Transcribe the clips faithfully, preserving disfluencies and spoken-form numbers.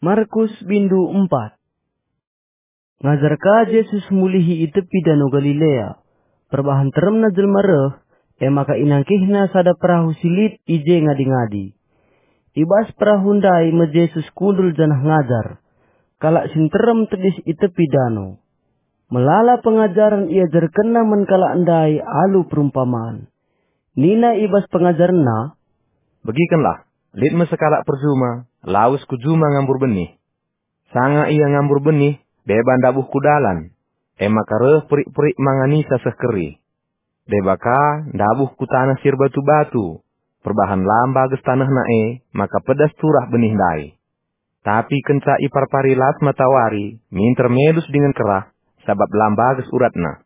Markus bindu empat. Ngajar ka Jesus mulihi i tepi Dano Galilea. Perbahan teremna jelma reh, e maka inangkihna sada perahu si lit i je ngadi-ngadi. I bas perahu ndai me Jesus kundul janah ngajar. Kalak si nterem tedis i tepi dano. Melala pengajaren iajarkenna man kalak ndai alu perumpaman. Nina i bas pengajarenna, "Begikenlah, lit me sekalak perjuma, lawes ku juma ngambur benih. Sanga ia ngambur benih, deba ndabuh ku dalan, e maka reh perik-perik manganisa seh keri. Deba ka ndabuh ku taneh si erbatu-batu, perbahan la mbages tanehna e, maka pedas turah benih ndai. Tapi kenca iparpari las matawari, minter melus dingen kerah, sabap la mbages uratna.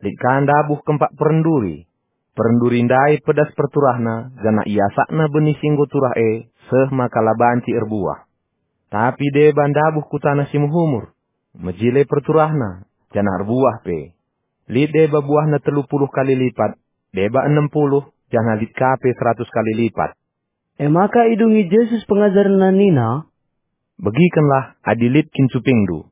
Lit ka ndabuh kempak perenduri. Perenduri ndai pedas perturahna, janah iasakna benih si enggo turah e, seh maka la banci erbuah. Tapi deba ndabuh ku taneh si mehumur, mejile perturahna, janah erbuah pe. Lit deba buahna telu puluh kali lipat, deba enem puluh, janah lit ka pe seratus kali lipat." E maka idungi Jesus pengajarenna nina, "Begikenlah adi lit kin cupingndu."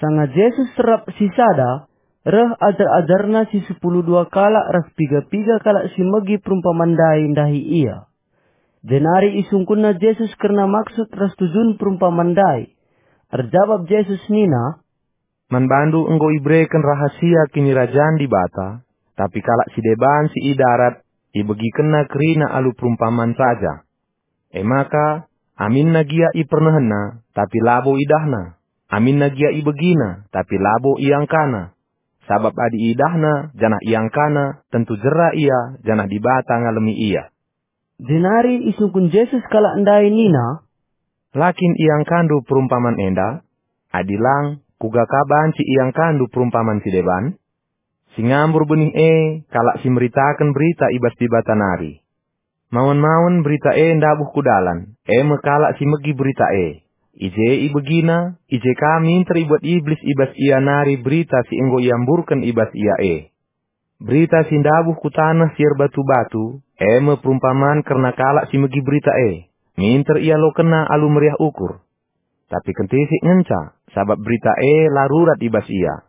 Sanga Jesus serap sisada, reh ajar-ajarNa si sepuluh dua kalak ras piga-piga kalak si megi perumpaman ndai ndahi IA. Jenari isungkunNa Jesus kerna maksud ras tujun perumpaman ndai. Erjabap Jesus nina, "Man bandu enggo ibereken rahasia Kinirajan Dibata, tapi kalak si deban si i darat ibegikenna kerina alu perumpaman saja. E maka, aminna gia ipernehenna, tapi labo idahna, aminna gia ibegina, tapi labo iangkana. Sabap adi idahna janah iangkana, tentu jera ia, janah Dibata ngalemi ia." Jenari isungkun Jesus kalak ndai nina, "La kin iangkandu perumpaman enda? Adi lang, kuga ka banci iangkandu perumpaman si deban? Si ngambur benih e, kalak si meritaken berita i bas Dibata nari. Mawen-mawen berita e ndabuh ku dalan, e me kalak si megi berita e. I je ibegina, i je ka minter ibuat Iblis i bas ia nari berita si enggo iamburken i bas ia e. Berita si ndabuh ku taneh si erbatu-batu, e me perumpaman kerna kalak si megi berita e. Minter ialokenna alu meriah ukur. Tapi kentisik ngenca, sabap berita e la rurat i bas ia.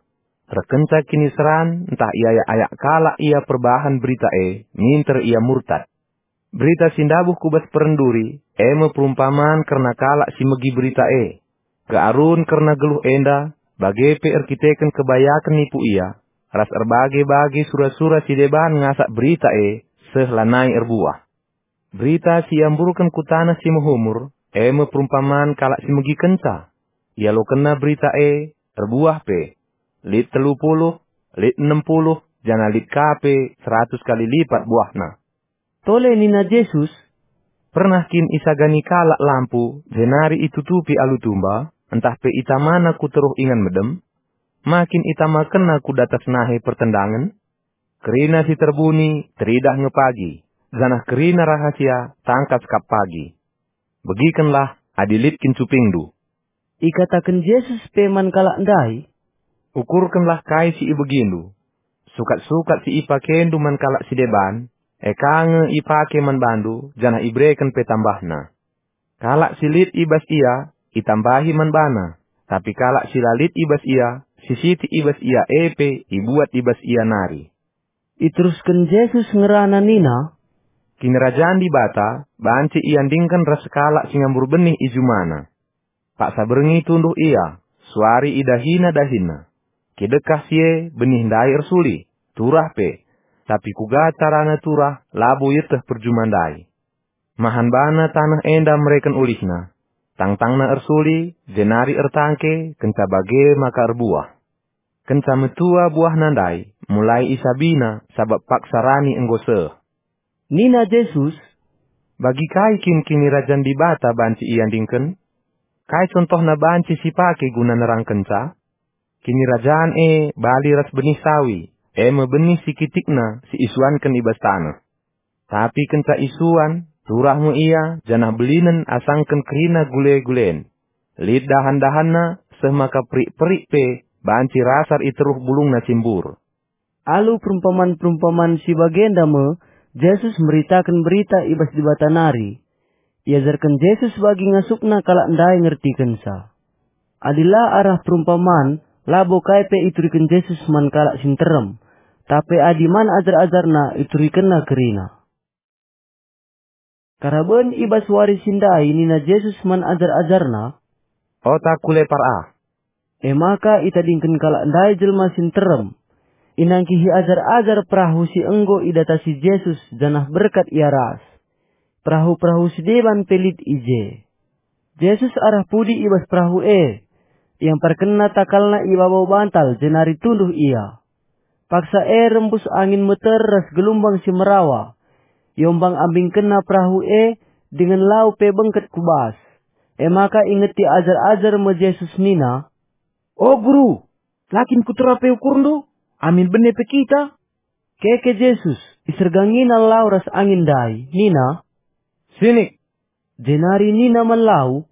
Reh kenca kiniseran ntah iayak-ayak kalak ia perbahan berita e, minter ia murtad. Berita si ndabuh ku bas perenduri, e me perumpaman kerna kalak si megi berita e. Kearun kerna geluh enda, bage pe erkiteken kebayaken nipu ia, ras erbage-bage sura-sura si deban ngasak berita e, seh lanai erbuah. Berita si iamburken ku taneh si mehumur, e me perumpaman kalak si megikenca. Ialokenna berita e, erbuah pe. Lit telu puluh, lit enem puluh, janah lit ka pe seratus kali lipat buahna." Tole nina Jesus, "Pernah kin isagani kalak lampu, jenari itutupi alu tumba, ntah pe itamana ku teruh ingan medem? Ma kin itamakenna ku datas nahe pertendangen? Kerina si terbuni teridah nge pagi, janah kerina rahasia tangkas kap pagi. Begikenlah adi lit kin cupingndu." Ikataken Jesus pe man kalak ndai, "Ukurkenlah kai si ibegindu. Sukat-sukat si ipakendu man kalak si deban, e ka nge ipake man bandu, janah ibereken pe tambahna. Kalak si lit i bas ia, itambahi man bana, tapi kalak si la lit i bas ia, si sitik i bas ia e pe ibuat i bas ia nari." Iterusken Jesus ngerana nina, "Kinirajan Dibata banci iandingken ras sekalak si ngambur benih i jumana. Paksa berngi tunduh ia, suari idahina dahinna. Kidekah si e benih ndai ersuli, turah pe. Tapi kuga carana turah labo ieteh perjuma ndai. Mahan bana taneh enda mereken ulihna. Tangtangna ersuli, jenari ertangke, kenca bage maka erbuah. Kenca metua buahna ndai, mulai isabina, sabap paksa rani enggo seh." Nina Jesus, "Bagi kai kin Kinirajan Dibata banci iandingken? Kai contohna banci sipake guna nerangkenca? Kinirajan e bali ras benih sawi, e me benih si kitikna si isuanken i bas taneh. Tapi kenca isuan, turah me ia, janah belinen asangken kerina gule-gulen. Lit dahan-dahanna, seh maka perik-perik pe banci rasar i teruh bulungna si mbur." Alu perumpaman-perumpaman si bagenda me Jesus meritaken berita i bas Dibata nari. Iajarken Jesus bagi ngasupna kalak ndai ngertikenca. Adi la arah perumpaman, labo kai pe ituriken Jesus man kalak si nterem, tapi adi man ajar-ajarNa iturikenNa kerina. Karaben i bas wari si ndai nina Jesus man ajar-ajarNa, "Ota ku lepar ah." E maka itadingken kalak ndai jelma si nterem. Inangkihi ajar-ajar perahu si enggo idatasi Jesus janah berkat ia ras. Perahu-perahu si deban pe lit i je. Jesus arah pudi i bas perahu e. Iamparkenna takalna i babo bantal jenari tunduh ia. Paksa e rembus angin meter ras gelumbang si merawa. Iombang-ambingkenna perahu e dingen lau pe bengket ku bas. E maka ingeti ajar-ajar me Jesus nina, "O Guru, la kin kutera pe ukurndu, amin bene pe kita?" Keke Jesus, isergangina lau ras angin ndai, nina, "Sinik!" Jenari nina man lau,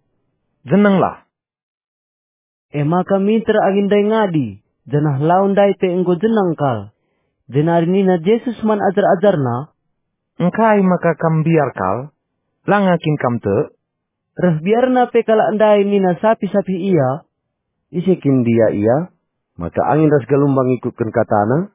"Jenenglah!" E maka minter angin ndai ngadi, janah lau ndai pe enggo jeneng kal. Jenari nina Jesus man ajar-ajarNa, "Engkai maka kam mbiar kal? Langa kin kam tek?" Reh biarna pe kalak ndai nina sapih-sapih ia, "Ise kin ndia ia, maka angin ras galumbang ngikutken kataNa?"